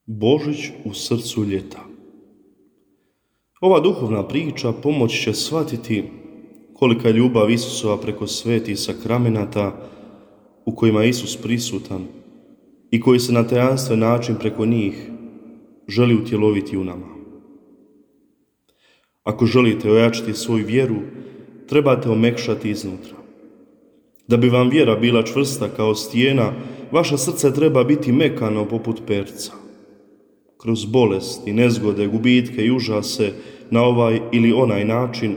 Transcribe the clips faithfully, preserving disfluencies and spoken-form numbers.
Božić u srcu ljeta. Ova duhovna priča pomoći će shvatiti kolika je ljubav Isusova preko svetih sakramenata u kojima je Isus prisutan i koji se na tajanstven način preko njih želi utjeloviti u nama. Ako želite ojačati svoju vjeru, trebate omekšati iznutra. Da bi vam vjera bila čvrsta kao stijena, vaše srce treba biti mekano poput perca. Kroz bolesti, nezgode, gubitke i užase na ovaj ili onaj način,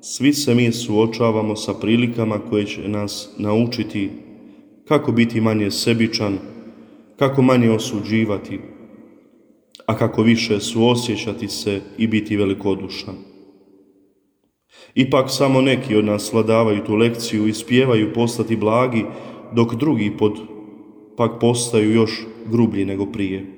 svi se mi suočavamo sa prilikama koje će nas naučiti kako biti manje sebičan, kako manje osuđivati, a kako više suosjećati se i biti velikodušan. Ipak samo neki od nas svladavaju tu lekciju i spijevaju postati blagi, dok drugi pod pak postaju još grublji nego prije.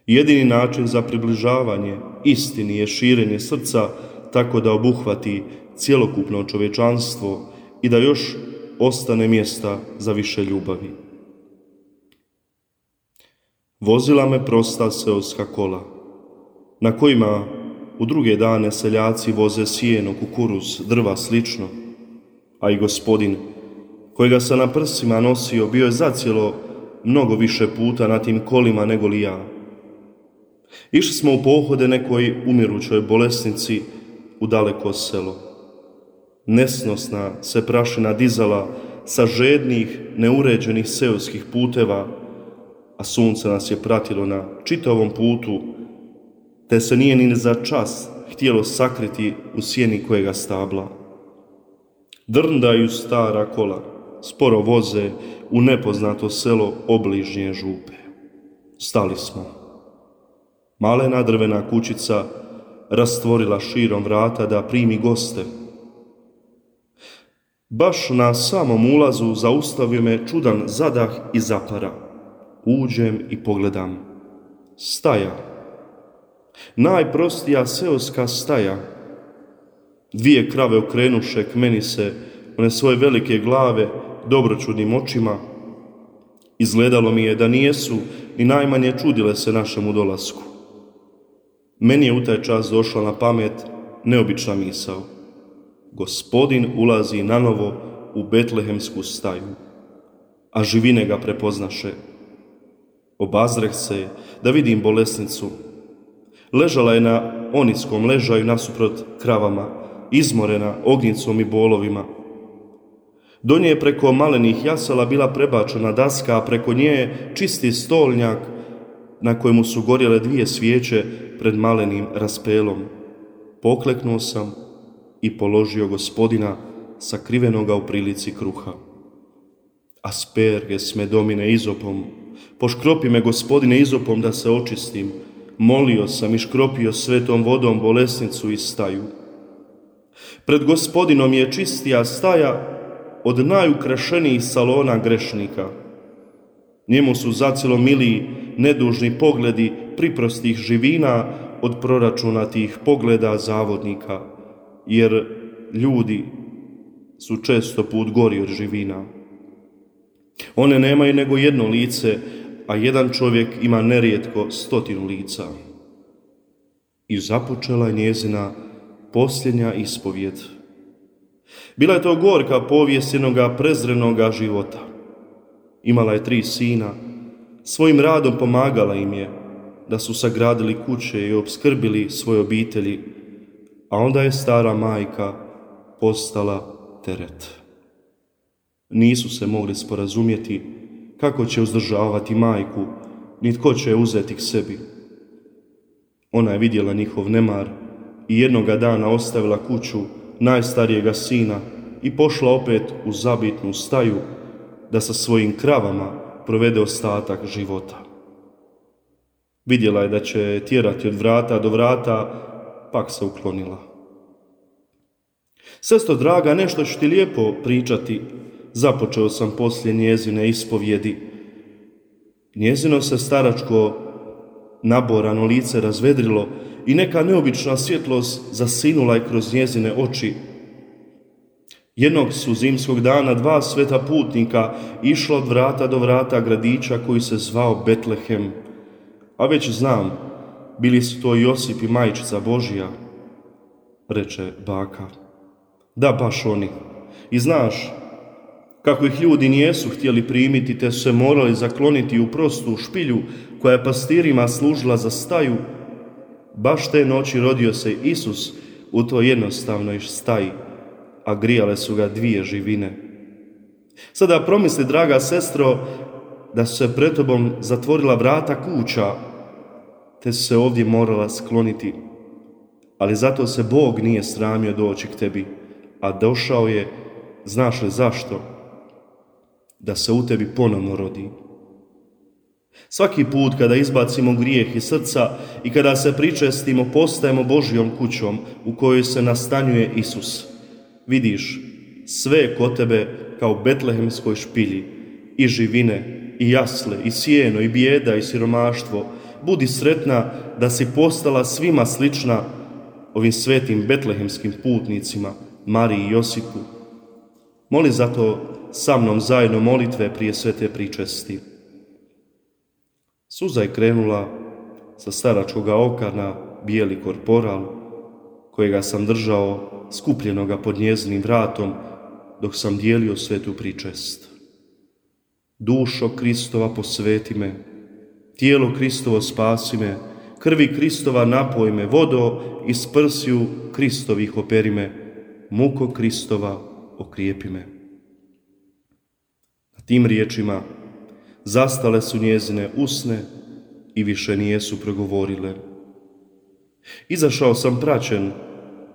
Jedini način za približavanje istini je širenje srca tako da obuhvati cjelokupno čovječanstvo i da još ostane mjesta za više ljubavi. Vozila me prosta seoska kola, na kojima u druge dane seljaci voze sjeno, kukuruz, drva slično, a i Gospodin, kojega sam na prsima nosio, bio je zacijelo mnogo više puta na tim kolima nego li ja. Išli smo u pohode nekoj umirućoj bolesnici u daleko selo. Nesnosna se prašina dizala sa žednih, neuređenih seoskih puteva, a sunce nas je pratilo na čitavom putu, te se nije ni za čas htjelo sakriti u sjeni kojega stabla. Drndaju stara kola, sporo voze u nepoznato selo obližnje župe. Stali smo. Malena drvena kućica rastvorila širom vrata da primi goste. Baš na samom ulazu zaustavio me čudan zadah i zapara. Uđem i pogledam. Staja. Najprostija seoska staja. Dvije krave okrenuše k meni se one svoje velike glave dobročudnim očima. Izgledalo mi je da nijesu ni najmanje čudile se našemu dolasku. Meni je u taj čas došla na pamet neobična misao. Gospodin ulazi nanovo u betlehemsku staju, a živine ga prepoznaše. Obazreh se da vidim bolesnicu. Ležala je na oniskom ležaju nasuprot kravama, izmorena ognjicom i bolovima. Do nje je preko malenih jasala bila prebačena daska, a preko nje je čisti stolnjak na kojemu su gorjele dvije svijeće pred malenim raspelom. Pokleknuo sam i položio Gospodina sakrivenoga u prilici kruha. Asperges me domine izopom, poškropi me Gospodine izopom da se očistim. Molio sam i škropio svetom vodom bolesnicu i staju. Pred Gospodinom je čistija staja od najukrašenijih salona grešnika. Njemu su zacilo miliji nedužni pogledi priprostih živina od proračunatih pogleda zavodnika, jer ljudi su često put gori od živina. One nemaju nego jedno lice, a jedan čovjek ima nerijetko stotinu lica. I započela je njezina posljednja ispovjed. Bila je to gorka povijest jednoga prezrenoga života. Imala je tri sina, svojim radom pomagala im je da su sagradili kuće i opskrbili svoje obitelji, a onda je stara majka postala teret. Nisu se mogli sporazumjeti kako će uzdržavati majku, ni tko će je uzeti k sebi. Ona je vidjela njihov nemar i jednoga dana ostavila kuću najstarijega sina i pošla opet u zabitnu staju da sa svojim kravama provede ostatak života. Vidjela je da će tjerati od vrata do vrata, pak se uklonila. Sestro draga, nešto ću ti lijepo pričati, započeo sam poslije njezine ispovjedi. Njezino se staračko naborano lice razvedrilo i neka neobična svjetlost zasinula je kroz njezine oči. Jednog su zimskog dana dva sveta putnika išla od vrata do vrata gradića koji se zvao Betlehem. A već znam, bili su to Josip i majčica Božja, reče baka. Da, baš oni. I znaš, kako ih ljudi nijesu htjeli primiti, te su se morali zakloniti u prostu špilju koja je pastirima služila za staju, baš te noći rodio se Isus u toj jednostavnoj staji, a grijale su ga dvije živine. Sada promisli, draga sestro, da su se pred tobom zatvorila vrata kuća, te su se ovdje morala skloniti. Ali zato se Bog nije sramio doći k tebi, a došao je, znaš li zašto? Da se u tebi ponovno rodi. Svaki put kada izbacimo grijeh iz srca i kada se pričestimo, postajemo Božjom kućom u kojoj se nastanjuje Isus. Vidiš, sve je kod tebe kao u betlehemskoj špilji, i živine, i jasle, i sjeno, i bijeda, i siromaštvo. Budi sretna da si postala svima slična ovim svetim betlehemskim putnicima, Mariji i Josipu. Moli zato sa mnom zajedno molitve prije svete pričesti. Suza je krenula sa staračkoga oka na bijeli korporal, kojega sam držao skupljenoga pod njezinim vratom dok sam dijelio svetu pričest. Dušo Kristova posveti me, tijelo Kristovo spasi me, krvi Kristova napoj me, vodo iz prsiju Kristovih operi me, muko Kristova okrijepi me. Na tim riječima zastale su njezine usne i više nijesu progovorile. Izašao sam praćen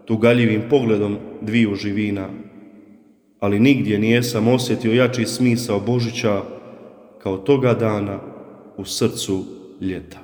tugaljivim pogledom dviju živina, ali nigdje nijesam osjetio jači smisao Božića kao toga dana u srcu ljeta.